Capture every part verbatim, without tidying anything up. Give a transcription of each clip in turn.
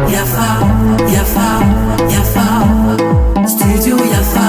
Yafa, Yafa, Yafa, Studio Yafa.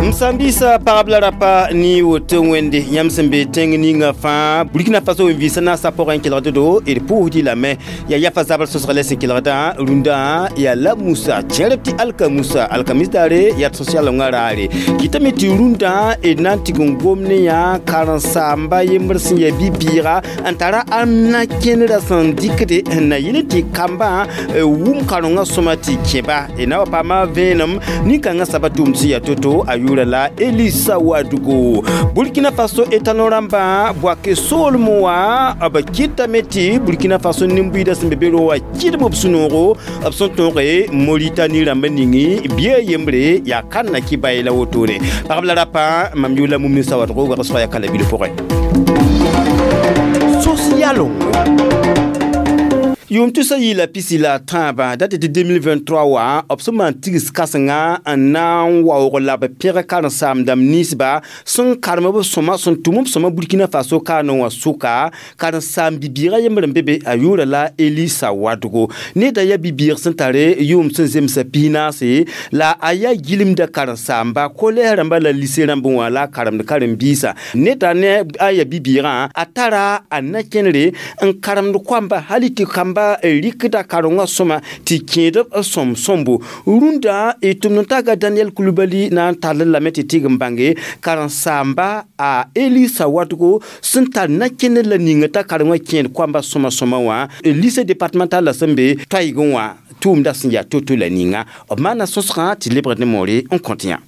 M sãn-biisã pagb la rapa ne woto wẽnde yãmb sẽn be tẽng ninga fãa Burkina Faso wẽn-vɩɩsã naasã pʋgẽ kelgd do d pʋʋsdɩ lame yaa yafa zabr sõsg la sẽn kelgdã rũndã yaa la Musa kẽerb tɩ alka Musa alkamis daare yaa sosialongã raare kɩtame tɩ rũndã d na n tɩg n gom ne yã karen-saamba yembr sẽn yaa bi-bɩɩga n tara a na kẽnerã sẽn dɩkde n na yɩl tɩ kambã wʋm karengã sõma tɩ kẽba d na wa paama vẽenem nin-kãngã saba tʋʋmd sẽn yaa to-to a yʋʋra la Elisa Wadugo. Burkina Faso étalon rãmbã Bouaké soolmẽ wã b kɩtame tɩ Burkina Faso nin-buiidã sẽn be be ro wã kɩdem b sũ-noogo b sẽn tõoge Moritani rãmba ningi bia yembre yaa kãnna kɩ bae la wotone pagb la rapã mam yʋʋla Mumni Sawadgo wegsga yaa kala bil pʋgẽ sos-yalongo yʋʋm tusa yɩɩla pisi la tãabã dat tɩ deux mille vingt-trois wã b sẽn maan tigs kãsenga n na n waoog la b pẽg karen-saamdãmb ninsba sẽn karem b sõma sẽn tʋm b sõma Burkina Faso kaanẽ wã sʋka karen-saam bi-bɩɩgã yembr n be be a yʋʋra la Elisa Wadgo neda yaa bi-bɩɩg sẽn tare yʋʋm sẽn zemsa pis-naase la a yaa gilmda karen-saamba collège rãmba la lycée rãmb wã la a karemd karen-biisã neda ne a yaa bi-bɩɩgã a tara a na-kẽnere n karemd koamba hali tɩ kamba rɩkda karengã sõma tɩ kẽed b sõm sõmbo rũndã y tʋmd n taga Daniel Kulubali na n tall lame tɩ tɩg n bãnge karen-saamba a Elisa Wadgo sẽn tar na-kẽner la ninga t'a karengã kẽed koamba sõma sõma wã lycée départemental la sẽn be toaygẽ wã tʋʋmda sẽn yaa to-to la ninga b maana sõsgã tɩ lebgd ne moore n kõt yã.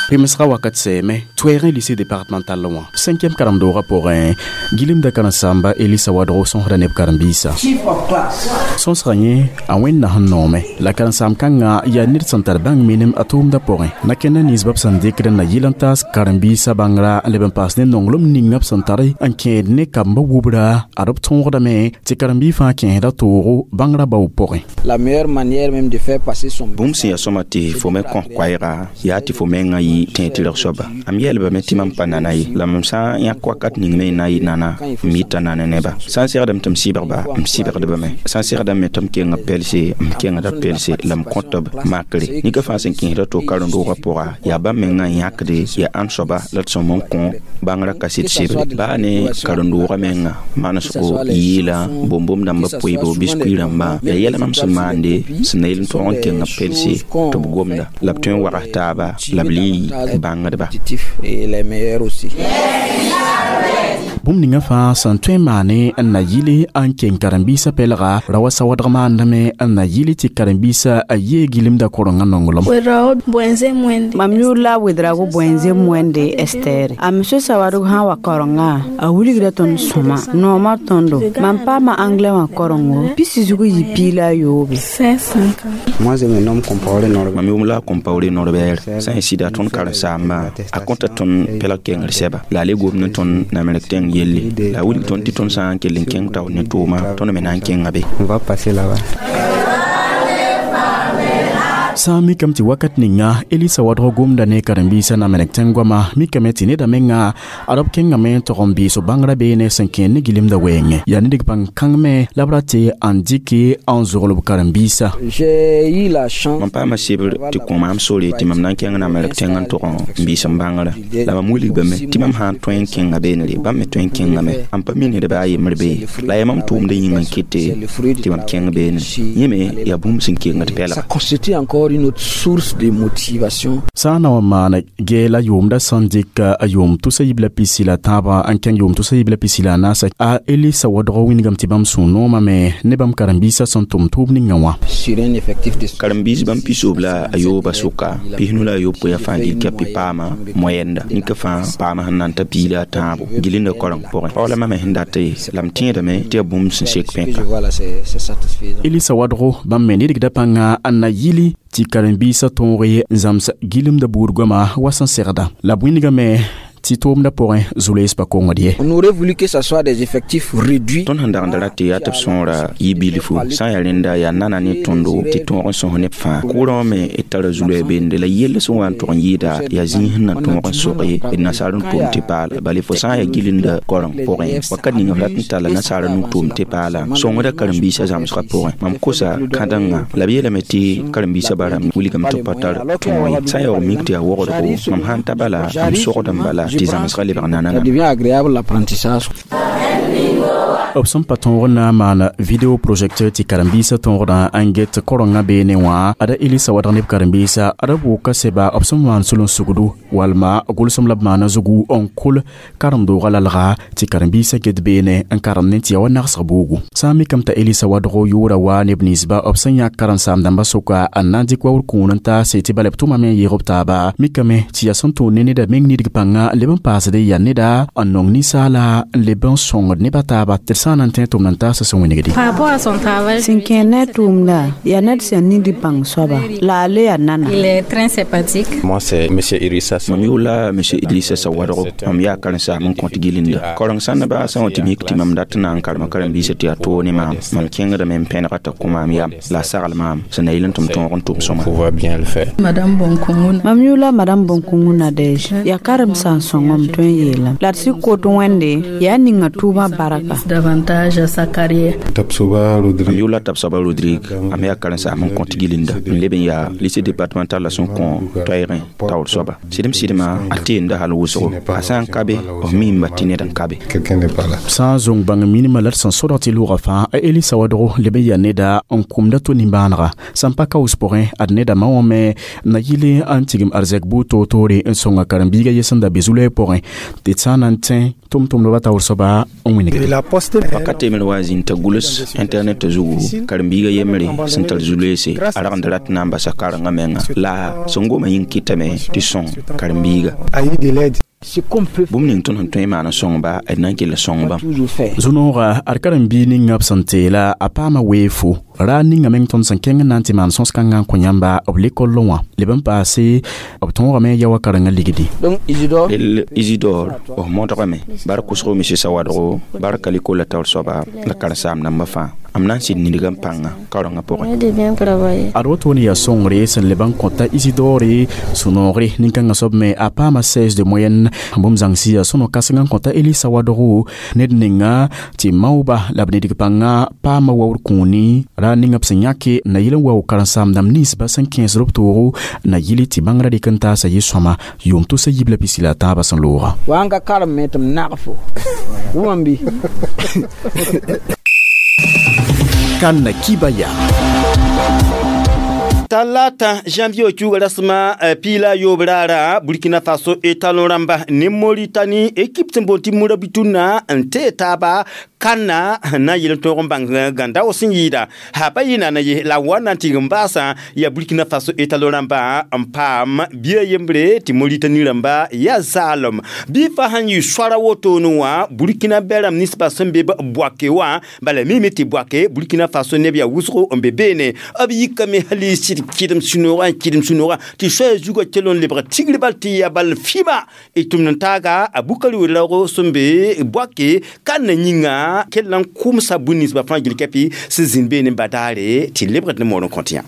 Pemsga wakat sɛɛme toɛɛgẽ lycée départemental wã cinquième karem-doogã pʋgẽ gilemda karen-saamba Elisa Wadgo sõsda neb karen-biisã sõsga yẽ a wẽnna sẽn noome la karen-saam kãngã yaa ned sẽn tar bãng minim a tʋʋmdã pʋgẽ nakẽnda ninsba b sẽn dɩkd n na yɩl n taas karen-biisã bãngra n leb n paas ne nonglem ninga b sẽn tar n kẽed ne kambã wubra ad b tõogdame tɩ karen-biig fãa kẽesda toogo bãngrã bao pʋgẽ. La meilleure manière même de faire passer son Bũmb sẽn yaa sõma tɩ fo me kõ koɛɛga yaa tɩ fo mengã yɩ tẽeg tɩrg soaba am yeelbame tɩ mam pa nana ye la mam sã n yãk wakat ning me n na n yɩ nana m yɩta nana neba sã n segdame tɩ m sɩbgba m sɩbgdbame sã n segdame tɩ m keng pelse m kengda pelse la m kõt b makre nika fãa sẽn kẽesda to karen-doogã pʋga yaa bãmb mengã n yãkde yaa ãnd soaba la d sõm n kõ bãngrã kaset sebre baa ne karen-doogã menga manesgo yɩɩla bõm-bõm dãmbã poeebo biskuit rãmbã yaa yɛla mam sẽn maande sẽn na yel n tog n kenga pelse tɩ b gomda la b tõe n wags taaba la b le yɩ bãngdba. Et les meilleurs aussi. Bũmb ninga fãa sẽn tõe n maane n na yɩle n keng karen-biisã pɛlga ra wa sawadg maandame n na yɩle tɩ karen-biisã a yee gilemda korengã nonglem. Ouedraogo Boenze Mwende. Mam yʋʋr la Ouedraogo Boenze Mwende Ester. A monsieur Sawadogo sã n wa karengã a wilgda tõnd sõma nooma tõndo mam paama anglais wã karengo pisi zug yɩ piig la a yoobe. cinq cent cinquante. Moi, je me nomme Compaoré Norbert. Mam yʋʋm la Compaoré Norbert sã n sɩda tõnd karen-saamba a kõta tõnd pɛlg kengr sɛba la a le gomd ne tõnd namrek tẽng yelle la a wilg tõnd tɩ tõnd sã n kell n kẽng taoor ne tʋʋma tõnd me na n kẽnga be. On va passer là-bas. Sã n mikame tɩ wakat ninga Elisa Wadg gomda ne karen-biisã namrek tẽng goama mikame tɩ neda menga ad b kẽngame n tog n bɩɩs bãngrã beene sẽn kẽer ne gilemda wɛɛngẽ yaa ned bãng kãng me la b ra tɩ n dɩke n zogl b karen-biisã. J'ai eu la chance. Mam paama sebr tɩ kõ maam sore tɩ mam na n kẽng namrek tẽng n tog n biis n bãngrã la mam wilgame tɩ mam sã n tõe n kẽnga beenre bãmb me tõe n kẽngame m pa mi ned baa yembr be la yaa mam tʋʋmdã yĩng n kɩte tɩ mam kẽng beene yẽ me yaa bũmb sẽn kengd Ça pɛlga. Constitue encore une autre source de motivation. Sã n na wa maan gɛɛla yʋʋmda sẽn dɩk a yʋʋm tusa yib la pisi la tãabã n kẽng yʋʋm tusa yib la pisi la a naasa a Elisa Wadg wingame tɩ bãmb sũ-noomame ne bãmb karen-biisã sẽn tʋm tʋʋm ninga wã. Sur un effectif de Karen-biis bãmb pisoob la a yooba sʋka pisnu la a yopoe a fãa gil kɛpɩ paama moyenda nika fãa paama sẽn na n ta pii la a tãabo gilinda koreng pʋgẽ pao la mame sẽn dat la m tẽedame tɩ yaa bũmb sẽn sek Que pẽka. je vois là, c'est c'est satisfaisant. Elisa Wadgo bãmb me nidgda pãnga n na yɩli tɩ karen-biisã tõog n zãms gilemda buud goama wa sẽn segda la b wĩndgame. Tɩ tʋʋmdã pʋgẽ zu-loees pa kongd ye. On aurait voulu que ça soit des effectifs réduits. Tõnd sẽn dagenda ra tɩ yaa tɩ b sõora yɩ bilfu sã n yaa rẽnda yaa nana ne tõndo tɩ tõog n sõs neb fãa kʋʋrã wã me d tara zu-loɛɛ beende la yell sẽn wa n tʋg n yɩɩda yaa zĩig sẽn na tõog n sog ye d nasaar n tʋʋm tɩ paala bala fo sã n yaa gilinda koreng pʋgẽ wakat ning f rat n talla nasaara nu-tʋʋm tɩ paala sõngda karen-biisã zãmsgã pʋgẽ mam kosa kãdengã la b yeelame tɩ karen-biisã barãmb wilgame tɩ b pa tar tõog ye sã n yaoog mik tɩ yaa wogdgo mam sãn ta bala m sogd n bala tɩ zãmsgã lebg Ça devient agréable l'apprentissage. B sẽn pa tõog n na n maan vidéo projecteur tɩ karen-biisã tõogdã n get korengã beene wã ada Elisa wadg neb karen-biisa ada bʋʋka seba b sẽn maan sulun-sugdu walma gʋlsem la b maana zugu n kʋl karen-doogã lalga tɩ karen-biisã get beene n karem ne tɩ ya wa nagsg buugu sã n mikame t'a Elisa wadgo yʋʋra wa neb ninsba b sẽn yãk karen-saam-dãmbã sʋka n na n dɩk waoor kũun n taase tɩ bala b tʋmame n yeeg b taaba mikame tɩ yaa sẽn tʋʋn ne neda meng nidg pãnga leb n paasd yaa neda n nong ninsaala n leb n sõngd nebã taaba tɩ d sã n na n tẽ tʋmd n taasa sẽn wĩnigdi. Par rapport à son travail, sẽn kẽ ne a tʋʋmda yaa ned sẽn ningd bãng soaba la a le yaa nana. Il est très sympathique. Moi, c'est monsieur. Idrissa. Mam yʋʋla monsieur Idrissa Sawadgo mam yaa karen-saam n kõt gilinda koreng sãnda baa sã n wa tɩ mik tɩ mam dat n na n karema karen-biisã tɩ yaa toog ne maam mam kẽngdame n pẽnega t'a kõ maam yam la a sagl maam sẽn na yɩl n tɩ m tõog n tʋm sõma. Pouvoir bien le faire. Madame Bonkongo. Mam yʋʋla madame Bõn-kũngũ Nadɛge yaa karem-sãn sõngame tõe n yeelame la d sɩ kot wẽnde yaa ninga tʋʋmã barka. Davantage à sa carrière. Tapsoba mam Rodrigue. yʋʋla Tabsaba Rodrigue am yaa karen-saam n kõt gilinda n leb n yaa lycée départemental la sẽn kõ toɛɛgẽ taoor soaba sɩdem sɩdmã a teenda hal wʋsgo a sã n ka be f miimba tɩ ned n ka be. Quelqu'un n'est pas là. Sã n zũng bãng minimã la d sẽn sodg tɩ lʋʋga fãa a Elisa wadgo leb n yaa neda n kʋmda to nimbãanega sãn pa kaoos pʋgẽ ad neda ma wã me na yɩl n tigim arzɛk buud toor-toore n sõnga karen-biiga yɛ sẽn da be zu-loɛɛ pʋgẽ tɩ d sã n na n tẽ tʋm-tʋmdbã taoor soaba n wĩnigde. Wakat temr wa zĩnd t'a gʋls internet zugu karen-biiga yembre sẽn tar zu-loeese a ragd rat na n basa karengã menga la sẽn goma yĩng kɩtame tɩ sõng karen-biiga bũmb ning tõnd sẽn tõe n maan n sõngba d na n kell sõng bãmb. Toujours faire. Zu-noogã ad karen-biig ninga b sẽn teela a paama weefo ra ninga meng tõnd sẽn kẽng n na n tɩ maan sõs-kãngã n kõ yãmba b lekol wã leb n paase b tõogame ya wa karengã ligdi. Donc Isidore, Del Isidore f modgame bar kʋsgo monsieur Sawadgo bar kaliko la taoor soaba la karen-saam dãmbã fãa m na n sɩd nidgã pãnga karengã pʋgẽ. De bien travailler. Ad woto ne yaa sõngre sẽn leb n kõta Isidore sũ-noogre nin-kãngã soab me a paama seize de moyenne bũmb zãngsi yaa sõno-kãseng n kõta Elisa wadgo ned ninga tɩ maooba la b nidg pãnga paama waoor kũuni ra ninga b sẽn yãke na yɩl n wao karen-saam-dãmb ninsba sẽn kẽesd b toogo na yɩl tɩ bãngrã dɩk n taasa yɩ-sõma yʋʋm tʋsa yib la pisi la a tãabã sẽn looga. Wa n ka karem me tɩ m nag fo. Wʋmam bɩ? Kan kibaya. Talata janvier kiuga rasma eh, pila yobrara Burkina Faso étalon ramba ne Mauritanie équipe sẽn boond tɩ Murabituna n tee taaba kanna na yɩl n tõog n bãng gãnda sẽn yɩɩda ha pa yɩ nana ye la wa na n tɩg n baasã yaa Burkina Faso étalon rãmba n paam bia yembre tɩ Mauritanie rãmba yaa zaalem bɩ fa sãn yɩ soara wotone wã Burkina bɛ rãmb ninsbã sẽn be Bouaké wã bala mime tɩ Bouaké Burkina Faso neb yaa wʋsgo n be beene b yikame hali sɩd kɩdem sũ-noogã n kɩdem sũ-noogã tɩ soaya zugã kell n lebg tigr bal tɩ yaa bal fɩma y tʋmd n taaga a Bukari Ouédraogo sẽn be Bouaké ka na yĩnga kell n kʋmsa bũn ninsbã fãa gil kɛpɩ sẽn zĩnd beene n badaare tɩ lebgd ne moor n kõt yã.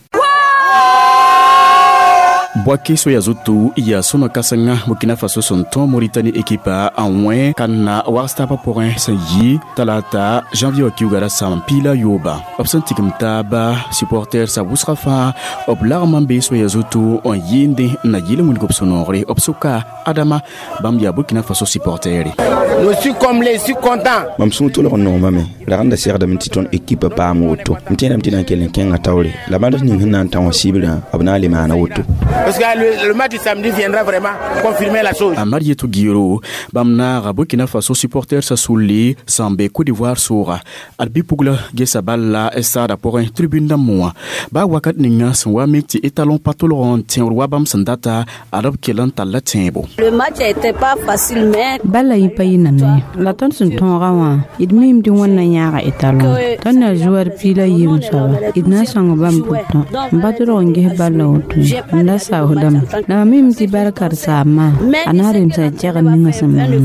Bouaké soya zutu ya sõno kãsenga Burkina Faso sẽn tõ Mauritanie ekipa n wẽ kanna wags taabã pʋgẽ sẽn yɩ talata janvier wã kiuga rasam piila yooba b sẽn tigim taaba supporter sa wʋsga fãa b lagm n bee soya zutu n yɩɩnde n na yɩl n wilg b sũ-noogre b sʋka Adama bãmb yaa Burkina Faso supportere. Je suis comblé, je suis content. Mam sũur tʋlg n nongmame ragenda segdame tɩ tõnd ekipa paam woto m tẽedame tɩ na n kell n kẽnga taoore la bãnd ning sẽn na n tã wã sɩbrã b na n le maana woto. Parce que le, le match du samedi viendra vraiment confirmer la chose. A Marietou Guiro bãmb naaga Burkina Faso supporter sa sulli sẽn be Côte d'Ivoire sʋʋga ad bɩ-pugla gesa bal la stade pʋgẽ tribune dãmb wã baa wakat ninga sẽn wa mik tɩ étalon pa tʋlg n tẽoor wa bãmb sẽn data ad b kell n talla tẽebo. Le match n'était pas facile, mais Bala yɩ pa yɩ nana ye la tõnd sẽn tõogã wã d miime tɩ Wẽnna yãaga étalon tõnd na zoar piig la yiim soaba d na n sõng bãmb pʋtõ n pa tʋlg n ges balla woto n da saoodame la mam mime tɩ bal karen-saambã a na n remsa kɛgr ninga sẽn maana.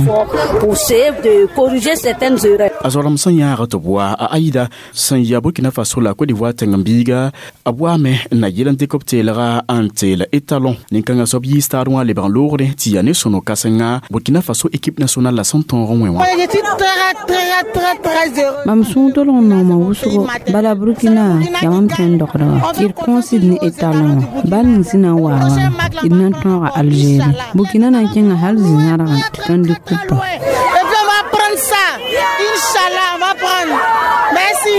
Pour essayer de corriger certaines erreurs. A zoarem sẽn yãaga tɩ b wa a Aïda sẽn ya Burkina Faso la Côte d'Ivoire tẽng-biiga a waame n na yel n dɩk b teelga n teel étalon nin-kãngã soab yii stade wã lebg n loogre tɩ yaa ne sõno-kãsenga Burkina Faso équipe nationale la sẽn tõog n wẽ wã. Mam sũur tolg n nooma wʋsgo bala Burkina yaa mam kẽnd dogdga tɩ d kõosd ne étalon wã bal ning sẽn na n waa wã d na n tõoga Algérie Burkina na n kẽnga hal zĩ-zãrgã tɩ tõnd dɩk kupa. Et puis on va prendre ça. Inch'Allah, on va prendre. Merci.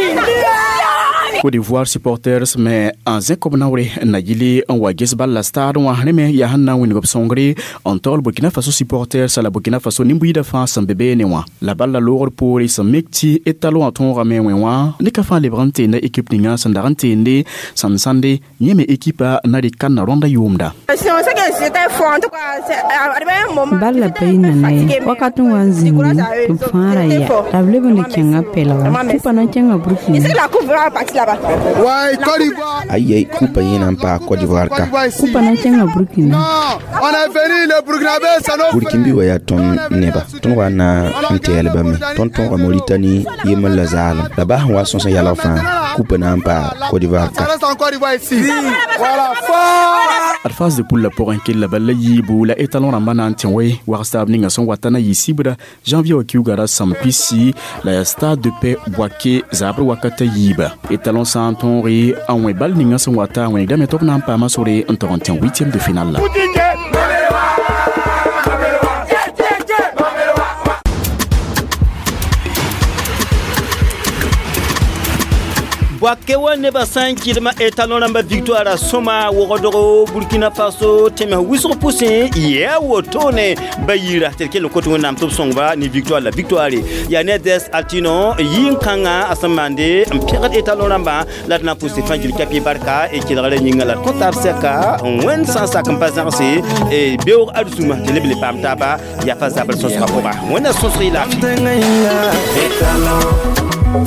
Côte d'Ivoire supporters me n zẽk b naoore n na yɩle n wa ges bal la stade wã rẽ me yaa sẽn na n wĩneg b sõngre n taool Burkina Faso supporters la Burkina Faso nin-buiidã fãa sẽn be beene wã la bal la loogr poore sẽn mik tɩ étalon wã tõogame wẽ wã ne ka fãa lebg n teenda équipe ninga sẽn dag n teende sẽn sãnde yẽ me équipa na rɩk kãnna rõnda yʋʋmda. Bal la pa yi nana ye wakat n wa n zĩndi tɩ b fãa ra ya la b leb n le kẽnga pɛlga kupa na n kẽnga Burkina. Ayi kupa yẽna n paa Côte d'Ivoire ka. Kupa na n kẽnga Burkina. Burkinbi wa yaa tõnd neba tõnd wa na n tɛɛlbame tõnd tõoga Mauritanie yembr la zaalem la baa sẽn wa sõs n yalg fãa kupa na n paa Côte d'Ivoire ka. Ad phase de poule la pʋgẽ kell bal la yiibu la étalon rãmbã na n tẽ we wags taab ninga sẽn wata na yɩ sibra janvier wa kiuga ra sãm pisi la yaa stade de paix Bouaké zaabr wakata yiiba étalon sã n tõoge n wẽ bal ninga sẽn wata a wẽgdame tɩ b na n paama sore n tog n tẽ huitième de finale la. Bouaké wa neba sã n kɩdma étalon rãmba victoire a sõma wogdgo Burkina Faso tẽms wʋsg pʋsẽ yɛa wotone ba yira tɩ d kell n kot wẽnnaam tɩ b sõngba ne victoire la victoire yaa ne des altino yɩ-kãngã a sẽn maande n pẽgd étalon rãmbã la d na n pʋse fãa gil kapi barka e kelgrã yĩnga la d kõ taab sɛka wẽnd sã n sak n pa zãgse beoog arzũma tɩ leb le paam taaba yaa pa zabr sõsgã pʋga wẽnna sõsg y laafɩ. Étalon, on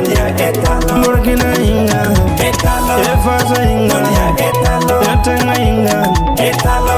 y a étalon, Burkina inga, étalon, Efaso inga, on y a étalon, Yatenga inga, étalon.